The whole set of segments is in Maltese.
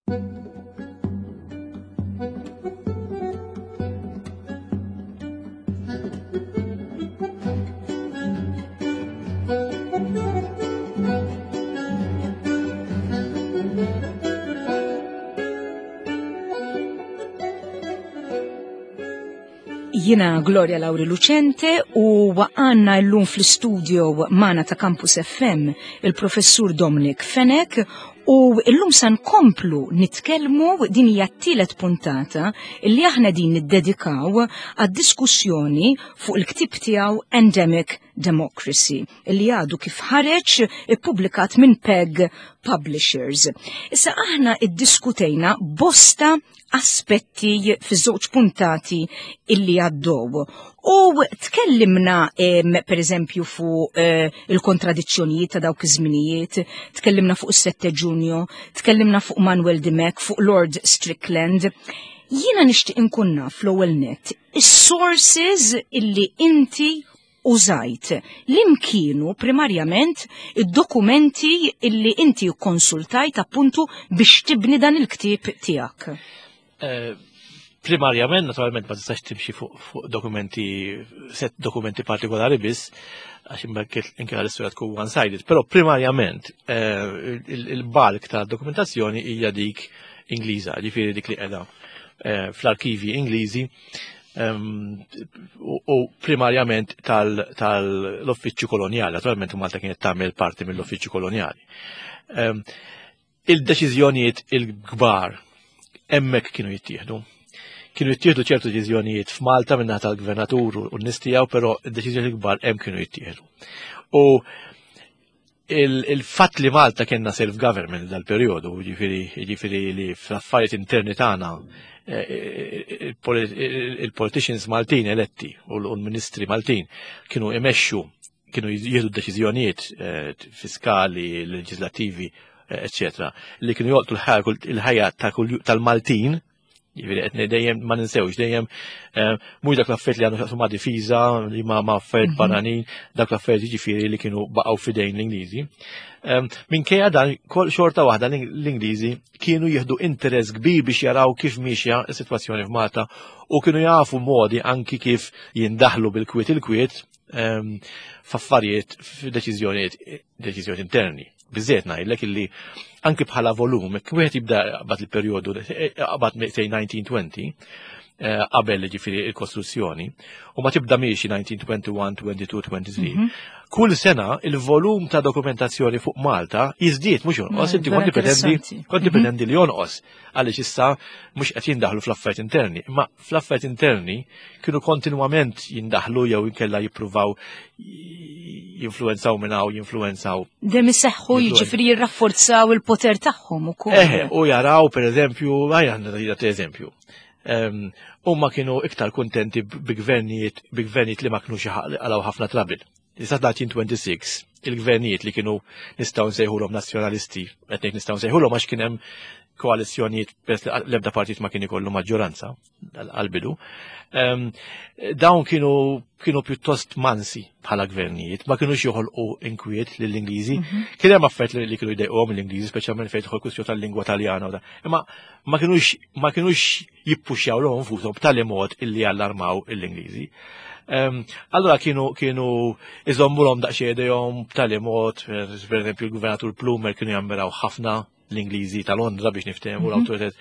Jina Gloria Lauri Lucente u għanna l-lum fl-studio mana ta' Campus FM il-professur Dominic Fenech u l-lum san komplu nitkelmu din hija t-tielet puntata li aħna din niddedikaw għad-diskussjoni fuq il-ktib tiegħu Endemic Democracy li għadu kif ħareġ ippubblikat minn PEG Publishers. Issa aħna iddiskutejna bosta aspetti fiż-żewġ puntati illi għaddew. U tkellimna per eżempju fuq eh, il-kontradizzjonijiet ta' dawk iż-żminijiet, tkellimna fuq is-7 Ġunju, tkellimna fuq Manuel Dimech, fuq Lord Strickland. Jiena nixtieq inkun naf l-ewwel nett is-sources illi inti użajt li kienu primarjament id-dokumenti illi inti konsultajt appuntu biex tibni dan il-ktieb tiegħek. Eh, primarjament, naturalment, ma tistax timxi fuq dokumenti, set dokumenti partikolari biss, għax imbagħad inkella l-istorja tkun one-sided, però primarjament eh, il-balk ta' dokumentazzjoni hija dik Ingliża, ġifieri dik li qiegħda eh, fl-arkivi Ingliżi ehm, u primarjament tal-uffiċċju kolonjali, naturalment Malta kienet tagħmel parti mill-uffiċċju kolonjali. Ehm, il-deċiżjonijiet il-kbar hemmhekk kienu jittieħdu. Kienu jittieħdu ċertu deċiżjonijiet f'Malta minn tal-gvernatur u n-nies tiegħu, però id-deċiżjonijiet il-kbar hemm kienu jittieħdu. U il-fatt li Malta kienna self-government dal-periodu, ġifiri li fl-affarijiet interni tagħna eh, il-politicians Maltin eletti u l-ministri Maltin kienu imexxu kienu jieħdu deċiżjonijiet eh, fiskali, leġislativi, eccetera, li kienu jolqtu l-ħajja tal-Maltin, Jiġifieri qed dejjem ma ninsewx dejjem eh, mhux dak l-affarijiet li għandu xaqsu ma' difiża li ma' ma' affarijiet mhm. barranin, dak l-affarijiet jiġifieri li kienu baqgħu fidejn l-Ingliżi. Ehm, minkejja dan kol xorta waħda l-Ingliżi kienu jieħdu interess kbir biex jaraw kif miexja s-sitwazzjoni f'Malta u kienu jafu modi anki kif jindaħlu bil-kwiet il-kwiet ehm, f'affarijiet f'deċiżjonijiet deċiżjonijiet interni. Biżżejjed ngħidlek illi anki bħala volum, jekk wieħed jibda qabad il-perjodu qabad sej 1920 eh, qabel ġifieri il-kostruzzjoni u ma tibda miexi 1921, 22, 23. Mhm. Kull sena il-volum ta' dokumentazzjoni fuq Malta jiżdied mhux jonqos, inti konti pretendi konti mhm. pretendi li jonqos għaliex issa mhux qed jindaħlu fl-affarijiet interni, imma fl-affarijiet interni kienu kontinwament jindaħlu jew inkella jippruvaw jinfluenzaw minn hawn jinfluenzaw. Dem iseħħu jiġifieri jirrafforzaw il-poter tagħhom ukoll. Eħe, u jaraw pereżempju, għajja għandna eżempju. Ehm, huma kienu iktar kuntenti bi gvernijiet bi gvernijiet li ma kinux għalaw ħafna trabil. Sa 1926 il-gvernijiet li kienu nistgħu nsejħulhom nazzjonalisti, qed ngħid nistgħu nsejħulhom għax kien hemm koalizzjonijiet peress li l-ebda partit ma kien ikollu maġġoranza għal-bidu. Ehm, dawn kienu kienu pjuttost mansi bħala gvernijiet, ma kienux joħolqu inkwiet lill-Ingliżi. Mhm. Kien hemm affarijiet li kienu jdejquhom l-Ingliżi, speċjalment fejn tidħol kwistjoni tal-lingwa Taljana. Imma ma kienux ma kienux jippuxjaw l nfushom b'tali mod illi jallarmaw l-Ingliżi. Ehm, allora kienu kienu iżommulhom daqsxejn idejhom b'tali mod, per eżempju l-Gvernatur Plumer kienu jammiraw ħafna l-Ingliżi ta' Londra biex niftehmu mhm. l-awtoritet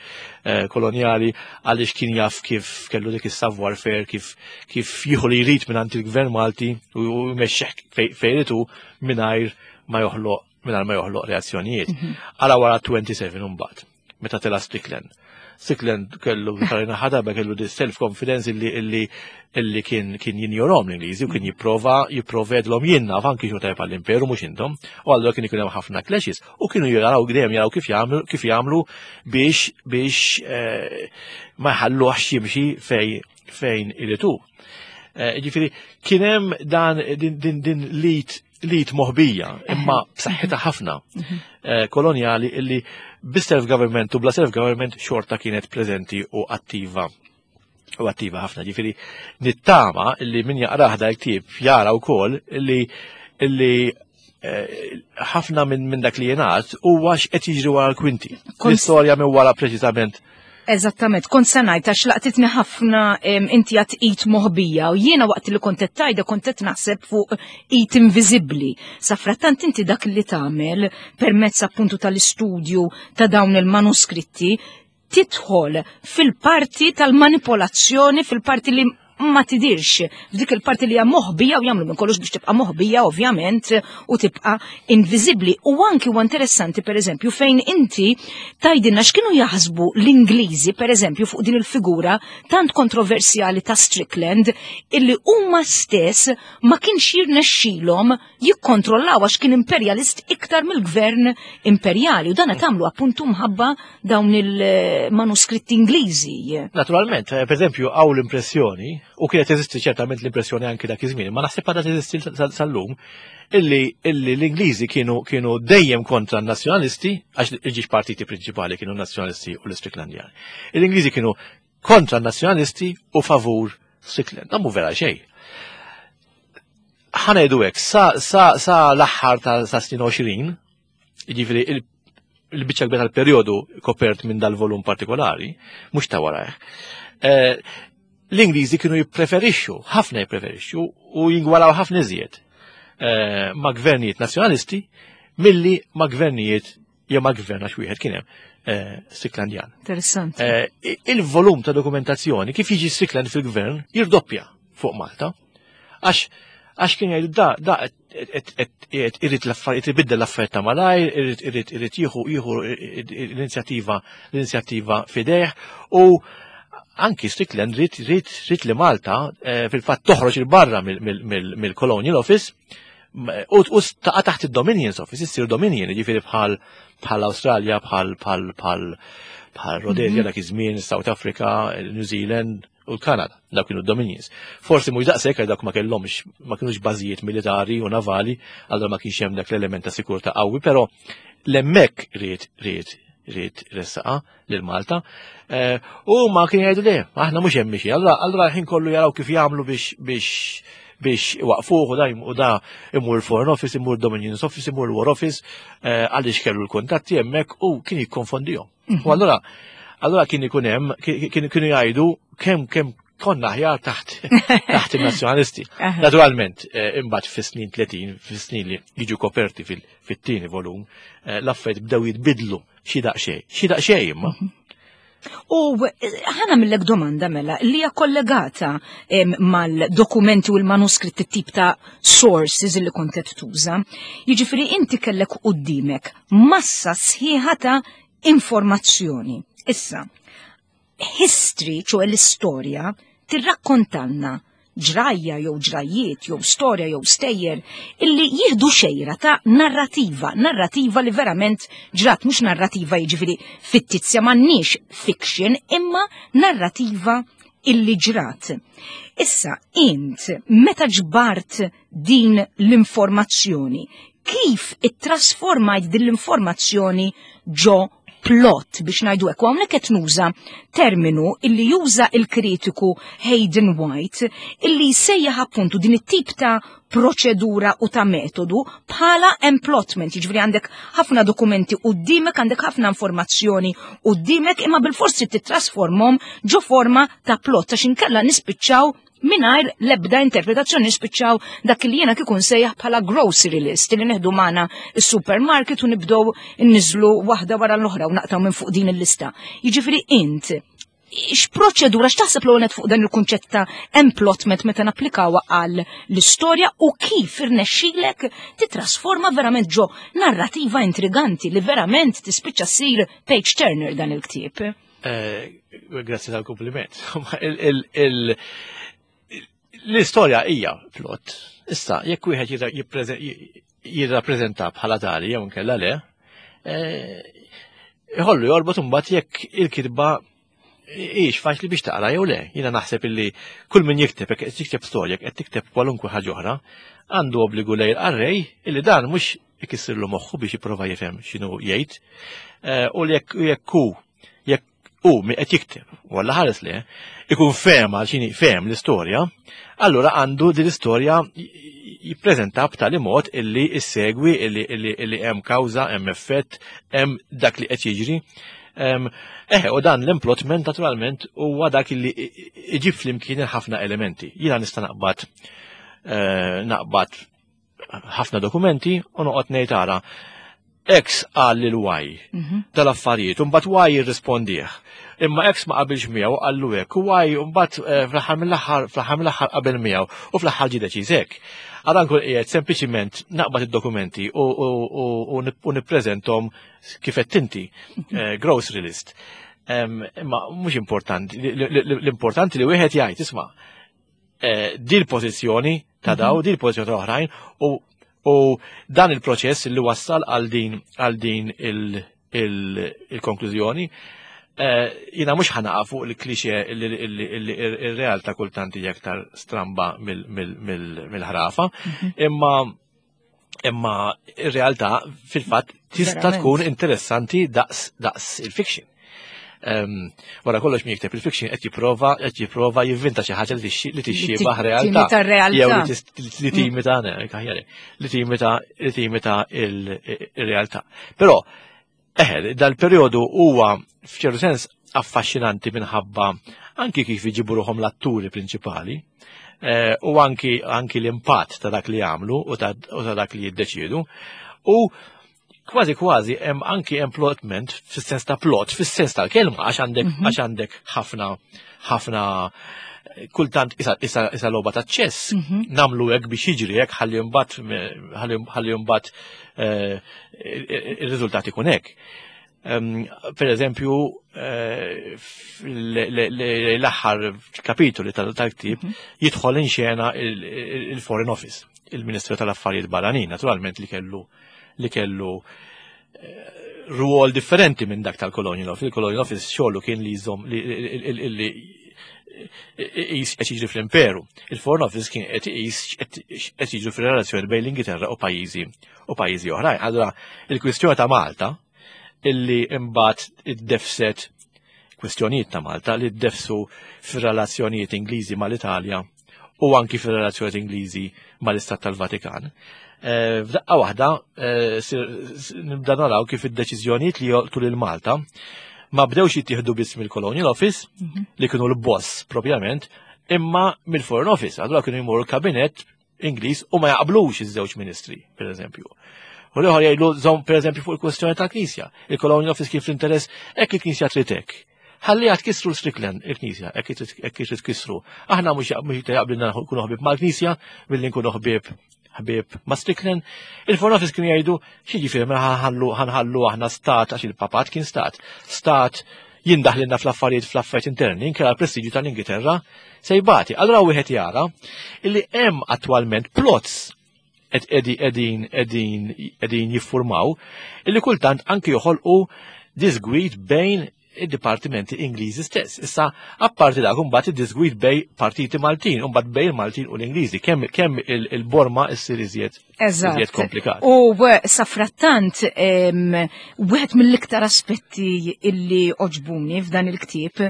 eh, kolonjali għaliex kien jaf kif kellu dik is-savoir faire kif kif jieħu li jrid minn il-gvern Malti u jmexxih fejritu mingħajr ma joħloq mingħajr ma joħloq reazzjonijiet. Mhm. Għala wara 27 imbagħad meta tela Strickland. Strickland kellu karina ħadaba kellu di self-confidence illi illi illi kien kien jinjorom l-Ingliżi u kien jipprova jipprovedlhom jien naf anki xu tajb għall-imperu mhux intom. U allura kien ikun hemm ħafna clashes u kienu jaraw dejjem jaraw kif jagħmlu kif jagħmlu biex biex eh, ma jħalluhx jimxi fej fejn iritu. Eh, ġifieri kien hemm dan din din din lit lit moħbija, imma b'saħħitha ħafna mhm. eh, kolonjali illi bis-self-government u bla self-government xorta kienet preżenti u attiva u attiva ħafna. Ġifieri nittama illi min jaqrah da l-ktieb jara wkoll illi illi Ħafna minn dak li jingħad huwa x'qed jiġri wara l-kwinti. L-istorja minn wara preċiżament. Eżattament, kont se ngħid għax laqtitni ħafna inti għat id moħbija u jiena waqt li kont qed tgħidha kont qed naħseb fuq id inviżibbli. Safrattant inti dak li tagħmel permezz appuntu tal-istudju ta' dawn il-manuskritti tidħol fil-parti tal-manipolazzjoni, fil-parti li ma tidirx, f'dik il-parti li hija moħbija u jagħmlu minn kollox biex tibqa' moħbija ovvjament u tibqa' inviżibbli. U anki huwa interessanti pereżempju fejn inti tgħidilna x'kienu jaħsbu l-Ingliżi pereżempju fuq din il-figura tant kontroversjali ta' Strickland illi huma stess ma kienx jirnexxilhom jikkontrollaw għax kien imperjalist iktar mill-gvern imperjali u dan qed tagħmlu appuntu mħabba dawn il-manuskritti Ingliżi. Naturalment, per eżempju, hawn l-impressjoni, u kienet teżisti ċertament l-impressjoni anki dak iż-żmien, ma naħseb għadha teżisti sal-lum, illi l-Ingliżi kienu dejjem kontra n-nazzjonalisti, għax il-ġiex partiti prinċipali kienu n-nazzjonalisti u l-Istricklandjani. L-Ingliżi kienu kontra n-nazzjonalisti u favur Strickland. Dan mhu vera xejn. Ħa ngħidu hekk, sa l-aħħar ta' sa snin 20, jiġifieri il-biċċa kbira tal-perjodu kopert minn dal-volum partikolari, mhux ta' warajh. L-Ingliżi kienu jippreferixxu, ħafna jippreferixxu u jingwalaw ħafna iżjed ma' gvernijiet nazzjonalisti milli ma' gvernijiet jew ma' gvern għax wieħed kien hemm Stricklandjan. Interessanti. Il-volum ta' dokumentazzjoni kif jiġi Strickland fil-gvern jirdoppja fuq Malta. Għax kien jgħidu da qed irid l-affarijiet, ibiddel l-affarijiet ta' malajr, irid jieħu l-inizjattiva f'idejh u anki Strickland ried li Malta fil-fatt toħroġ il barra mill-Colonial Office u taqa' taħt id-Dominions Office, issir Dominion, jiġifieri bħal Awstralja, bħal Rhodesia dak iż-żmien, South Africa, New Zealand u l-Kanada, dawk kienu Dominions. Forsi mhux daqshekk għal dawk ma kellhomx, ma kinux bażijiet militari u navali, allura ma kienx hemm dak l-element ta' sikurtà qawwi, però l-hemmhekk ried ressaqa lil Malta. U ma kien jgħidu le, aħna mhux hemm mixi. Allura ħin kollu jaraw kif jagħmlu biex waqfuh u da u da imur Foreign Office, imur Dominions Office, imur War Office, għaliex kellu l-kuntatti hemmhekk u kien jikkonfondihom. U allura kien ikun hemm, kienu jgħidu kemm konna aħjar taħt il-nazzjonalisti. Naturalment, imbagħad fis-snin 30, fis-snin li jiġu koperti fit-tieni volum, l-affarijiet bdew jitbidlu xi daqsxejn, xi daqsxejn imma. U ħa nagħmillek domanda mela li hija kollegata mal-dokumenti u l-manuskritti, tip ta' sources li kont qed tuża. Jiġifieri inti kellek qudiemek massa sħiħa ta' informazzjoni. Issa, history, ċoè l-istorja, tirrakkontanna ġrajja jew ġrajjiet jew storja jew stejjer illi jieħdu xejra ta' narrativa, narrativa li verament ġrat, mhux narrativa jiġifieri fittizja, m'għandniex fiction, imma narrativa illi ġrat. Issa, int meta ġbart din l-informazzjoni, kif ittrasformajt din l-informazzjoni ġo plot biex ngħidu hekk? Hawnhekk qed nuża terminu illi juża il-kritiku Hayden White illi jsejjaħ appuntu din it-tip ta' proċedura u ta' metodu bħala emplotment, jiġifieri għandek ħafna dokumenti qudiemek, għandek ħafna informazzjoni qudiemek, imma bil-forsi titrasformhom ġo forma ta' plot għax inkella nispiċċaw mingħajr l-ebda interpretazzjoni, nispiċċaw dak li jiena kieku nsejjaħ bħala grocery list li neħdu magħna is-supermarket u nibdew nniżlu waħda wara l-oħra u naqtaw minn fuq din il-lista. Jiġifieri int x'proċedura, x'taħseb l fuq dan il-kunċett ta' emplotment meta napplikawha għal l-istorja u kif irnexxilek titrasforma verament ġo narrativa intriganti li verament tispiċċa ssir page turner dan il-ktieb? Grazzi tal-kompliment. L-istorja hija plot. Issa, jekk wieħed jirrappreżenta bħala tali jew inkella le, iħollu jorbot imbagħad jekk il-kitba hix faċli biex taqra jew le. Jiena naħseb illi kull min jikteb, jekk qed jikteb storja, jekk qed tikteb kwalunkwe ħaġa oħra, għandu obbligu lejn il-qarrej illi dan mhux ikissirlu moħħu biex jipprova jifhem x'inhu jgħid. U jekk hu jekk u min qed jikteb, walla ħares li, ikun fehem għal xini fehem l-istorja, allura għandu din l-istorja. Jippreżenta b'tali mod illi issegwi illi hemm kawża, hemm effett, hemm dak li qed jiġri. Eħe, u dan l-emplotment naturalment huwa dak illi iġib flimkien ħafna elementi. Jiena nista' naqbad eh, naqbad ħafna dokumenti u noqgħod ngħid ara X qal lil Y dal-affarijiet, u mbagħad Y jirrispondih. Imma X ma qabilx miegħu qallu hekk, u Y mbagħad eh, fl-aħħar mill-aħħar fl-aħħar mill-aħħar qabel miegħu u fl-aħħar ġie deċiż hekk. Għadha nkun qiegħed sempliċiment naqbad id-dokumenti u nippreżenthom kif qed inti, eh, grocery list. Imma mhux importanti, l-importanti li wieħed jgħid isma' eh, di l-pożizzjoni ta' daw, di l-pożizzjoni ta' oħrajn u u dan il-proċess li wassal għal din għal din il-konklużjoni eh, jina mhux ħanaqa fuq il-klixe il-realtà kultant hija aktar stramba mill-ħrafa, imma imma ir-realtà fil-fatt tista' tkun interessanti daqs daqs il-fiction. Um, wara kollox min jikteb il-fiction qed jipprova qed jipprova jivvinta xi ħaġa li tixxiebah realtà. Jew li timita li timita li timita il-realtà. Però eħe, dal-perjodu huwa f'ċertu sens affaxxinanti minħabba anki kif iġibu ruħhom l-atturi prinċipali eh, u anki, anki l-impatt ta' dak li jagħmlu u ta' dak li jiddeċiedu. U kważi kważi hemm anki hemm plotment fis-sens ta' plot, fis-sens tal-kelma għax għandek mhm. għax għandek ħafna ħafna kultant isa, isa, isa logħba ta' ċess mm -hmm. namlu hekk biex jiġri hekk ħalli mbagħad ħalli mbagħad eh, ir-riżultat ikun hekk. Per eżempju, eh, l-aħħar kapitoli tal-ktib mhm. jidħol in xena il-Foreign Office, il-Ministru tal-Affarijiet Barranin, naturalment li kellu li kellu eh, ruol differenti minn dak tal-Colonial Office. Il-Colonial Office xogħlu kien li jżomm li qed jiġri fl-imperu. Il-Foreign Office kien qed iqis qed jiġri fir-relazzjoni bejn l-Ingilterra u pajjiżi u pajjiżi oħrajn. Allura il-kwistjoni ta' Malta illi imbagħad iddefset kwistjonijiet ta' Malta li ddefsu fir-relazzjonijiet Ingliżi mal-Italja u anki fir-relazzjonijiet Ingliżi mal-Istat tal-Vatikan. Eh, f'daqqa waħda eh, nibda naraw kif id-deċiżjonijiet li jolqtu lil Malta ma bdewx jittieħdu biss mill-Colonial Office mhm. li kienu l-boss propjament, imma mill-Foreign Office. Allura kienu jmorru l-kabinet Ingliż u ma jaqblux iż-żewġ ministri, per eżempju. U l-ieħor jgħidlu żomm per eżempju fuq il-kwestjoni tal-Knisja. Il-Colonial Office kien fl-interess hekk il-Knisja trid hekk. Ħalli għad kisru l-Strickland il-Knisja, hekk trid kisru. Aħna mhux jaqblilna nkunu ħbieb mal-Knisja milli nkunu ħbieb ħbieb ma' Strickland. Il-Foreign Office kienu jgħidu x'jiġifieri mela ħanħallu aħna stat għax il-papat kien stat. Stat jindaħlilna fl-affarijiet fl-affarijiet interni, inkella l-prestiġju tal-Ingilterra se jbati. Allura wieħed jara illi hemm attwalment plots qed qegħdin qegħdin jiffurmaw illi kultant anki joħolqu disgwid bejn id-dipartimenti Ingliżi stess. Issa, apparti dak imbagħad id-disgwid bej partiti Maltin, imbagħad bej il-Maltin u l-Ingliżi, kemm kemm il-borma issir iżjed iżjed komplikat. U safrattant wieħed mill-iktar aspetti illi oġbuni f'dan il-ktieb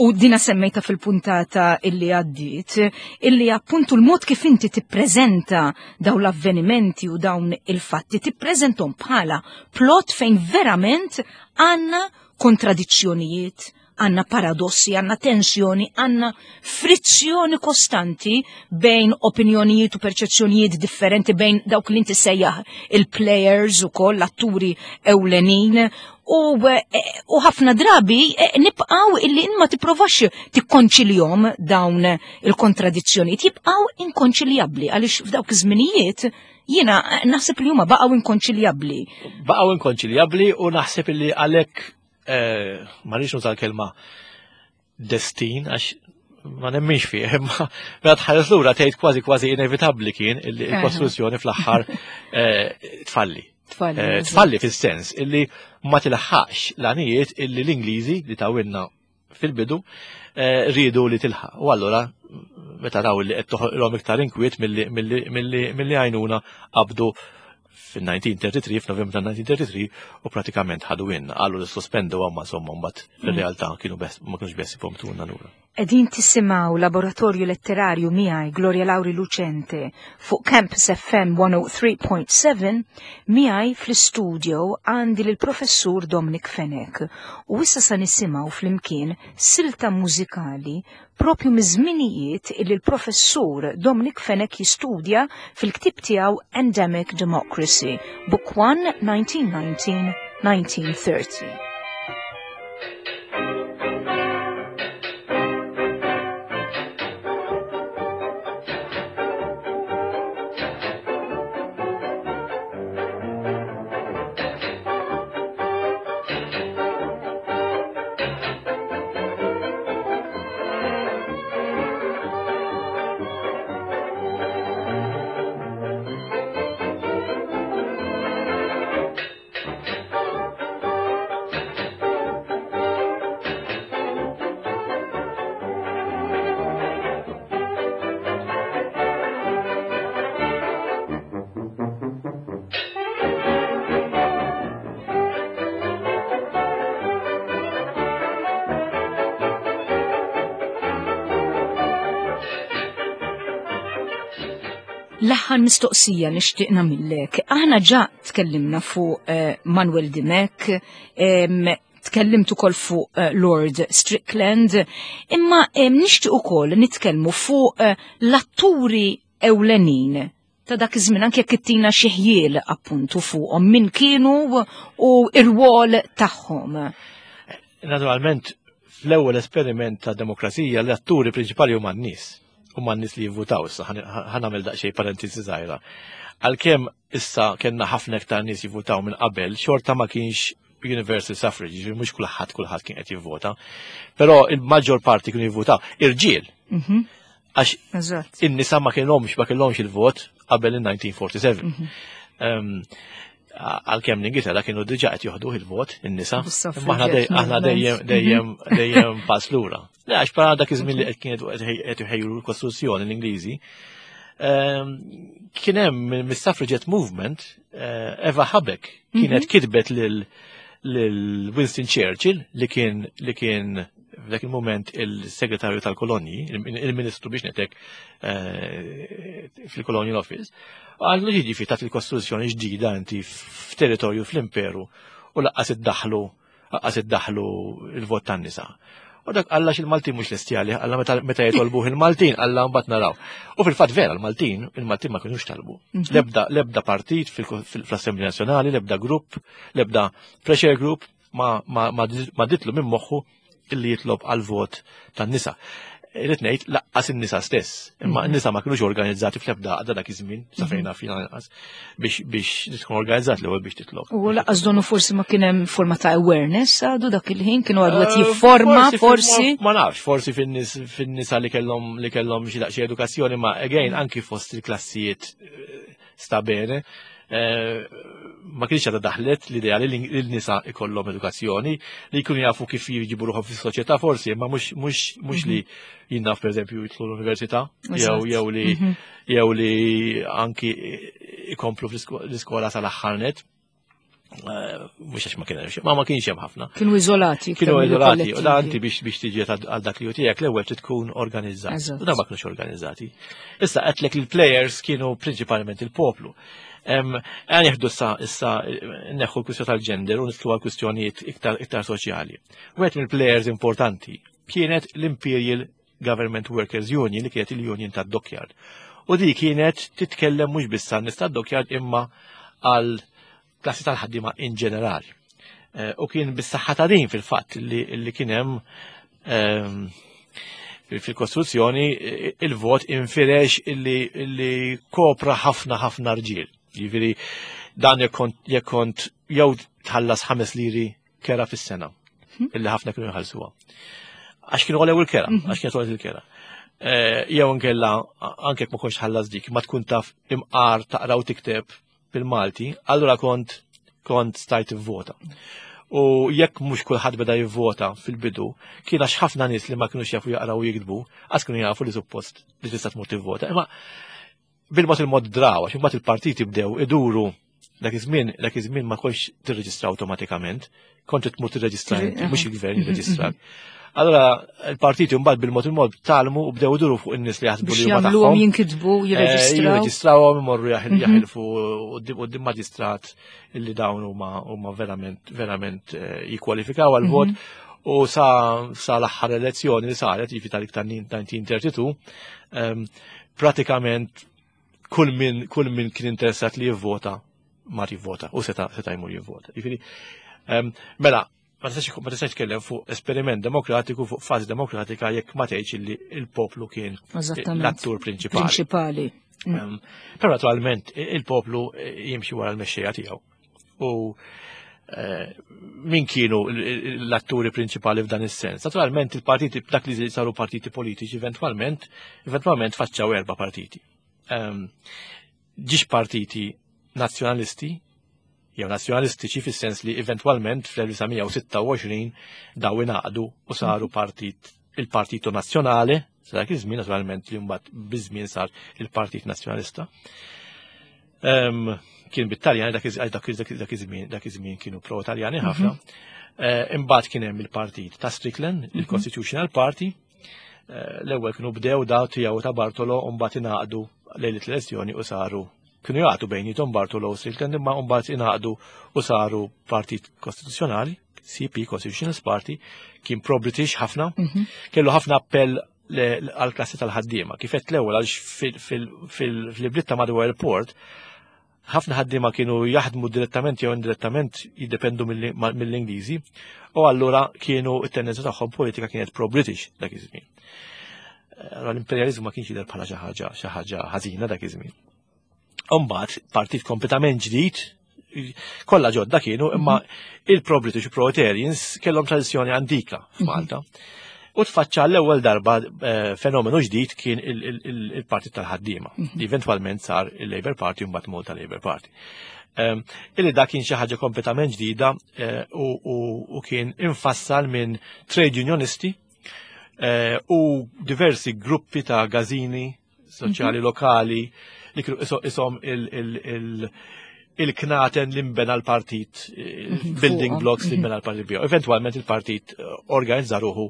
u dina semmejta fil-puntata illi għaddiet, illi appuntu l-mod kif inti tippreżenta dawn l-avvenimenti u dawn il-fatti, tippreżentom bħala plot fejn verament għandna kontradizzjonijiet, għanna paradossi, għanna tensjoni, għanna frizzjoni kostanti bejn opinjonijiet u perċezzjonijiet differenti bejn dawk li inti sejjaħ il-players u koll, l-atturi ewlenin u eh, ħafna drabi eh, nibqaw illi ma tipprovax tikkonċiljom dawn il-kontradizzjonijiet, jibqaw inkonċiljabbli għaliex f'dawk iż-żminijiet jiena eh, naħseb li huma baqgħu inkonċiljabbli. Baqgħu inkonċiljabbli u naħseb illi għalhekk ma rridx nuża l-kelma destin għax ma nemminx fih, imma meta tħares lura tgħid kważi kważi inevitabbli kien illi l-kostruzzjoni fl-aħħar eh, tfalli. Tfalli, eh, tfalli fis-sens illi ma tilħaqx l-għanijiet illi l-Ingliżi li tawilna fil-bidu eh, rridu li tilħaq. U allura meta raw li qed toħolhom iktar inkwiet milli għajnuna qabdu fil-1933, f'Novembru tal-1933, u pratikament ħadu inna. Qalu li sospendu għamma somma mbagħad fil-realtà kienu ma kienux bessi pomtuna lura. Qegħdin tisimgħu Laboratorju Letterarju miegħi Gloria Lauri Lucente fuq Campus FM 103.7 miegħi fl-istudio għandi lill professur Dominic Fenech u issa sa nisimgħu flimkien silta mużikali propju miż-żminijiet illi l-professur Dominic Fenech jistudja fil-ktieb tiegħu Endemic Democracy, Book 1, 1919-1930. L-aħħar mistoqsija nixtieq nagħmillek. Aħna ġa tkellimna fuq eh, Manuel Dimech, tkellimt ukoll fuq eh, Lord Strickland, imma nixtieq ukoll nitkellmu fuq eh, l-atturi ewlenin ta' dak iż-żmien anke jekk ittina xi ħjiel appuntu fuqhom min kienu u r-rwol tagħhom. Naturalment, fl-ewwel esperiment ta' demokrazija l-atturi prinċipali huma n-nies. Huma n-nies li jivvutaw issa ħa nagħmel daqsxejn parentesi żgħira. Għalkemm issa kellna ħafna iktar nies jivvutaw minn qabel, xorta ma kienx universal suffrage, ġifieri mhux kulħadd kulħadd kien qed jivvota. Però il-maġġor parti kienu jivvutaw irġiel. Mhm. Għax in-nisa ma kellhomx ma kellhomx il-vot qabel il-1947. Mhm. Ehm, għalkemm l-Ingilterra kienu diġà qed joħduh il-vot in-nisa. Imma aħna dejjem dejjem mhm. dejjem pass lura. Le għax bħala dak iż-żmien li qed kienet qed iħejju l-Kostituzzjoni l-Ingliżi, ehm, kien hemm mis-suffragette movement eh, Eva Habeck kienet mhm. kitbet lil Winston Churchill li kien li kien f'dak il-moment il-segretarju tal-kolonji, il-ministru biex netek eh, fil-Colonial Office, għallu jiġifieri tat il-kostruzzjoni ġdida inti f'territorju fl-imperu u laqqas iddaħlu laqqas iddaħlu il-vot tan-nisa. U dak għalla il-Maltin mhux lesti għalih, għalla meta jitolbuh il-Maltin, għalla mbagħad naraw. U fil-fatt vera l-Maltin, il-Maltin ma kinux talbu. Mhm. Lebda lebda partit fl-Assembli Nazzjonali, lebda grupp, lebda pressure group ma, ma, ma, ma ditlu minn moħħu illi jitlob għal vot tan-nisa. Irrid ngħid laqqas in-nisa stess, imma mhm. n-nisa ma kinux organizzati fl-ebda għadha dak iż-żmien, sa mhm. fejn fina lanqas, biex biex tkun organizzat l-ewwel biex titlob. U laqqas donu forsi ma kien hemm forma ta' awareness għadu dak il-ħin kienu għadu qed eh, jifforma forsi. Ma nafx, forsi fin-nisa li kellhom li kellhom xi daqsxejn edukazzjoni, ma again mhm. anki fost il-klassijiet eh, sta bene. Eh, ma kienx għadha daħlet l-idea li l-nisa ikollhom edukazzjoni, li jkunu jafu kif jġibu ruħhom fis-soċjetà forsi, imma mhux li mhm. jinnaf pereżempju jidħlu l-università, jew jew li mhm. jew li anki ikomplu fl-iskola sal-aħħar net. Eh, mhux għax ma kien hemm ma ma kienx hemm ħafna. Kienu iżolati. Kienu iżolati, u da anti biex biex tiġi għal dak li hu tiegħek l-ewwel trid tkun organizzat. U da ma kienux organizzati. Issa qedlek il-players kienu prinċipalment il-poplu. Għan jieħdu issa issa neħu l-kwistjoni tal-ġender u nitlu għal kwistjonijiet iktar iktar soċjali. Wieħed mill-players importanti kienet l-Imperial Government Workers Union li kienet il-union tad-dockyard. U di kienet titkellem mhux biss għan nies tad-dockyard imma għal klassi tal-ħaddiema in ġenerali. Eh, u kien bis-saħħa ta' din fil-fatt li kien hemm ehm, fil-kostruzzjoni eh, il-vot infirex illi kopra ħafna ħafna rġiel. Jiġifieri dan jekk kont jew tħallas ħames liri kera fis-sena mhm. illi ħafna kienu jħallsuha. Għax kienu għolew il-kera, mhm. għax kienet il-kera. Eh, jew nkella anke jekk ma kontx ħallas dik, ma tkun taf imqar taqra u tikteb bil-Malti, allura kont kont stajt vota. U jekk mhux kulħadd beda jivvota fil-bidu, kien għax ħafna nies li ma kinux jafu jaqraw u jiktbu, għax kienu jafu li suppost li tista' tmur tivvota. Imma bil-mod il-mod draw, għax imbagħad il-partiti bdew iduru Dak iż-żmien, dak iż-żmien ma kontx tirreġistra awtomatikament, kont tmur tirreġistra inti, mhux il-gvern jirreġistrak. Allora il-partiti mbagħad bil-mod il-mod talmu u bdew iduru fuq in-nies li jaħsbu li huma tagħhom. Jinkitbu, eh, jirreġistraw. Jirreġistrawhom imorru mhm. jaħilfu quddiem maġistrat illi dawn huma verament verament eh, jikkwalifikaw għal-vot. Mhm. U sa, sa l-aħħar elezzjoni li saret, jiġifieri tal-iktar 1932, ehm, pratikament kull min kull min kien interessat li jivvota mar jivvota u seta seta jmur jivvota. Jiġifieri, ehm, mela, ma tistax ma tistax tkellem fuq esperiment demokratiku fuq fażi demokratika jekk ma tgħidx li il-poplu kien l-attur prinċipali. Prinċipali. Mm. Ehm, però naturalment il-poplu jimxi wara l-mexxejja tiegħu. U eh, min kienu l-atturi prinċipali f'dan is-sens? Naturalment il-partiti, dak li saru partiti politiċi eventwalment, eventwalment faċċaw erba' partiti. Ehm, ġiex partiti nazzjonalisti, jew nazzjonalistiċi fis-sens li eventwalment fl-1926 daw ingħaqdu u saru mhm. partit il-Partito Nazzjonali, sa dak iż-żmien naturalment li mbagħad biż-żmien sar il-Partit Nazzjonalista. Ehm, kien bit-Taljan dak iż-żmien dak iż-żmien kienu pro-Taljani ħafna. Mhm. Eh, imbagħad kien hemm il-partit ta' Strickland, mhm. il-Constitutional Party. Eh, l-ewwel kienu bdew daw tiegħu ta' Bartolo u mbagħad ingħaqdu lejlet l-elezzjoni u saru kienu jagħtu bejnietom Bartolo u Strickland imma mbagħad ingħaqdu u saru Partit Kostituzzjonali, CP Constitutional Party, kien pro-British ħafna, mhm. kellu ħafna appell għal-klassi tal-ħaddiema. Kif qed l-ewwel għaliex fil-bliet ta' madwar il-port, ħafna ħaddiema kienu jaħdmu direttament jew indirettament jiddependu mill-Ingliżi u allura kienu it-tendenza tagħhom politika kienet pro-British dak iż-żmien. Allora l-imperjaliżmu ma kienx jidher bħala xi ħaġa xi ħaġa ħażina dak iż-żmien. Umbagħad partit kompletament ġdid, kollha ġodda kienu, imma mhm. il-pro-British pro-Italians kellhom tradizzjoni antika f'Malta. Mhm. U tfaċċa l-ewwel darba eh, fenomenu ġdid kien il-Partit tal-ħaddiema, mhm. li eventwalment sar il-Labour Party u mbagħad Malta Labour Party. Ehm, illi da kien xi ħaġa kompletament ġdida eh, u kien infassal minn trade unionisti eh, u diversi gruppi ta' gazini soċjali mhm. lokali li kienu isom il-knaten li mbena l-partit, eh, mhm, building blocks li mhm. mbena l-partit biju. Eventualment il-partit eh, organizza ruħu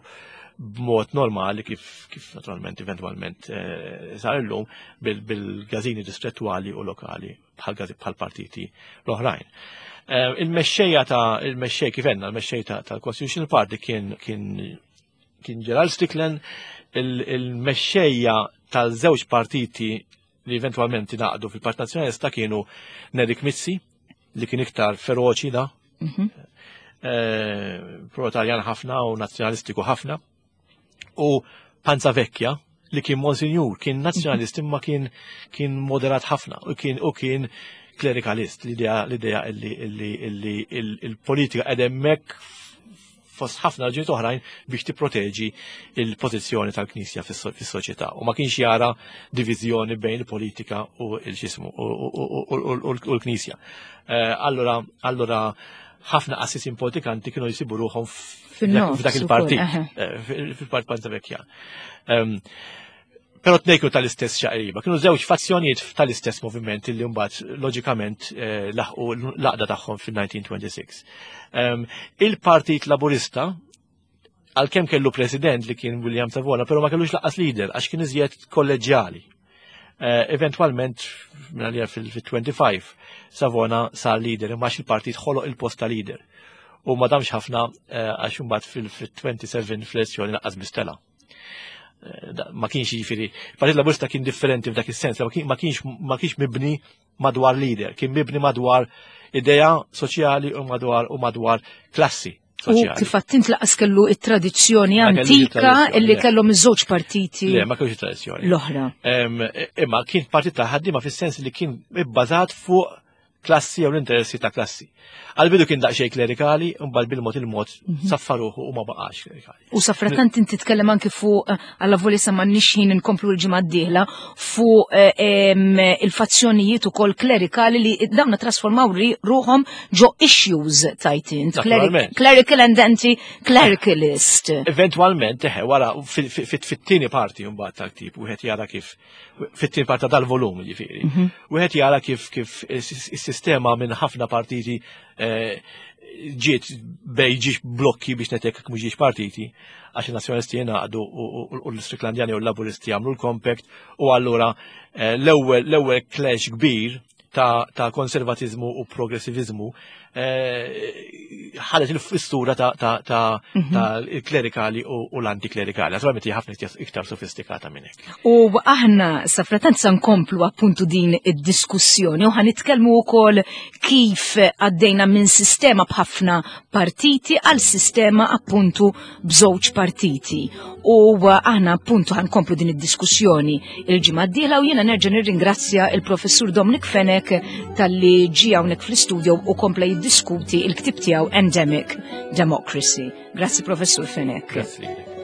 b'mod normali kif, kif naturalment eventualment eh, sar illum bil-gazini distrettuali u lokali bħal partiti l-oħrajn. Il-mexxejja ta' il-mexxej kif għedna, il-mexxej tal-Constitutional Party kien kien kien Gerald Strickland il-mexxejja tal-żewġ partiti li eventualment ingħaqdu fil-Partit Nazzjonalista kienu Nerik Mizzi, li kien iktar feroċi da, mhm. eh, pro-Taljan ħafna u nazzjonalistiku ħafna, u Panza Vecchia, li kien monsinjur, kien nazzjonalist imma kien kien moderat ħafna u kien u kien klerikalist l-idea l-idea illi illi il-politika qed hemmhekk fost ħafna raġunijiet oħrajn biex tipproteġi il-pożizzjoni tal-Knisja fis-soċjetà u ma kienx jara diviżjoni bejn il-politika u l-xismu u l-Knisja. Eh, allura allura ħafna qassisin politikanti kienu jsibu ruħhom f'dak il-partit, eh, fil-partit Panza Vecchia. Ehm, Però tnejn kienu tal-istess xaqriba, kienu żewġ fazzjonijiet tal-istess moviment li mbagħad loġikament eh, laħqu l-għaqda tagħhom fil-1926. Ehm, il-Partit Laburista għalkemm kellu president li kien William Savona, però ma kellux laqqas leader għax kien iżjed kolleġjali. Eh, eventualment, minn fil-25, Savona sar leader, imma il-partit ħoloq il-post ta' leader. U ma damx ħafna eh, għax imbagħad fil-27 fl-elezzjoni laqqas bistela. Eh, ma kienx jiġifieri, il-Partit Laburista kien differenti f'dak is-sens, ma kienx ma kienx mibni madwar leader, kien mibni madwar idea soċjali u madwar u madwar klassi. U kif għattint laqas kellu it-tradizzjoni antika illi kellhom iż-żewġ partiti. Le, ma kellux tradizzjoni. L-oħra. Imma kien partit ta' ħaddiema fis-sens li kien ibbażat fuq klassi jew l-interessi ta' klassi. Għal-bidu kien daqsxejn klerikali, mbagħad bil-mod il-mod mhm. saffaruħu u ma baqax klerikali. U safratant inti tkellem anki fuq eh, alla voli sa m'għandniex ħin inkomplu l-ġimgħa d-dieħla fuq eh, il-fazzjonijiet ukoll klerikali li dawna trasformaw ruħhom ġo issues tajt int. Clerical and anti-clericalist. Eventualment, eħe, wara fit-tieni parti mbagħad tal-ktib wieħed jara kif fit-tieni parti dal-volum ġifieri. Mhm. Wieħed jara kif kif is Is-sistema minn ħafna partiti eh, ġiet bej ġiex blokki biex netek mhux ġiex partiti għax il-Nazzjonalisti jingħaqdu u l-Istriklandjani u l-Laburisti jagħmlu l-Compact u allura eh, l-ewwel l-ewwel clash kbir ta', ta konservatizmu u progressivizmu eh, ħadet il-fissura ta', ta, ta, mhm. ta klerikali u l-antiklerikali. Naturalment hija ħafna iktar sofistikata minn hekk. U aħna sa fratant sa nkomplu appuntu din id-diskussjoni u ħanitkellmu wkoll kif għaddejna minn sistema b'ħafna partiti għal sistema appuntu b'żewġ partiti. U aħna appuntu ħankomplu din id-diskussjoni il-ġimgħa d-dieħla u jiena nerġa' nirringrazzja il-Professur Dominic Fenech talli ġie hawnhekk fl-istudio u kompla jiddiskuti il-ktieb tiegħu Endemic Democracy. Grazzi Professur Fenech. Grazzi.